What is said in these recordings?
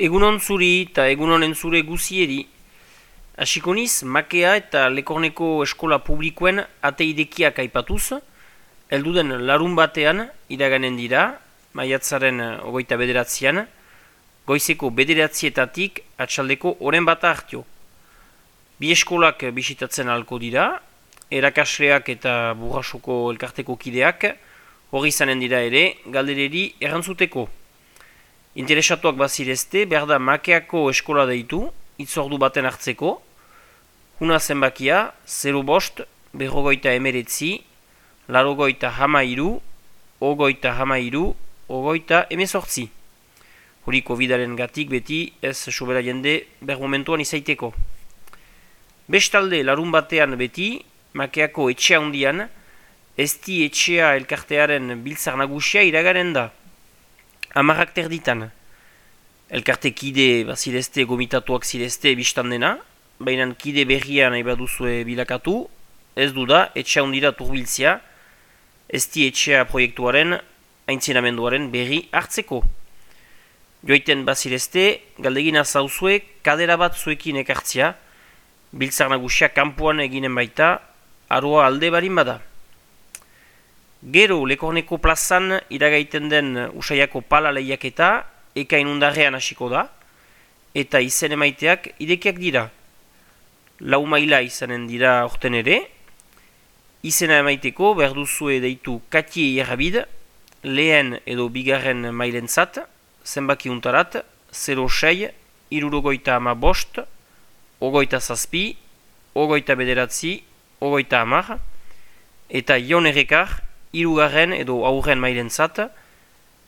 Egunon zuri eta egunonen zure guzieri. Hasiko niz, Makea eta Lekorneko eskola publikoen ate idekiak aipatuz, helduden larun batean iraganen dira, maiatzaren 29an, goizeko 9:00 atxaldeko oren bata hartio. Bi eskolak bisitatzen ahalko dira, erakasleak eta burrasoko elkarteko kideak, hori izanen dira ere, galdereri errantzuteko. Interesatuak bazirezte, behar da Makeako eskola deitu, itzordu baten hartzeko, huna zenbakia 05 59 83 93 18. Hori COVID-aren gatik beti ez sobera jende behar momentuan izaiteko. Bestalde larun batean beti, Makeako etxea hundian, ezti etxea elkartearen biltzar nagusia iragaren da. 10 erditan. Elkarte kide bazirezte gomitatuak zirezte biztan dena, baina kide berria nahi baduzue bilakatu, ez du da etxea hundira turbiltzia, ezti etxea proiektuaren, aintzinamenduaren berri hartzeko. Joiten bazirezte, galdegina zauzue kadera bat zuekin ekartzia, biltzar nagusia kanpoan eginen baita, aroa alde barin bada. Gero Lekorneko plazan iragaiten den Usaiako pala lehiaketa ekain undarrean hasiko da, eta izen emaiteak idekiak dira. 4 maila izanen dira orten ere, izena emaiteko behar duzue deitu Katie Errabid, lehen edo bigarren mailentzat, zenbaki untarat, 06 65 27 29 30, eta Jon Errekar, hirugarren edo aurren mailentzat,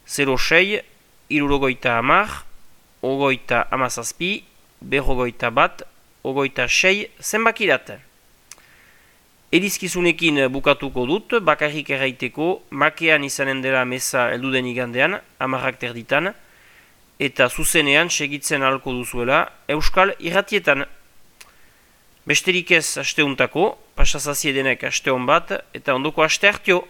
06 70 17 26 zenbakirat. Edizkizunekin bukatuko dut, bakarrik erraiteko, Makean izanen dela meza helduden igandean, 10:00 eta zuzenean segitzen ahalko duzuela Euskal Irratietan. Besterik ez asteuntako, pasazaziedenek aste hon bat, eta ondoko aste hartio.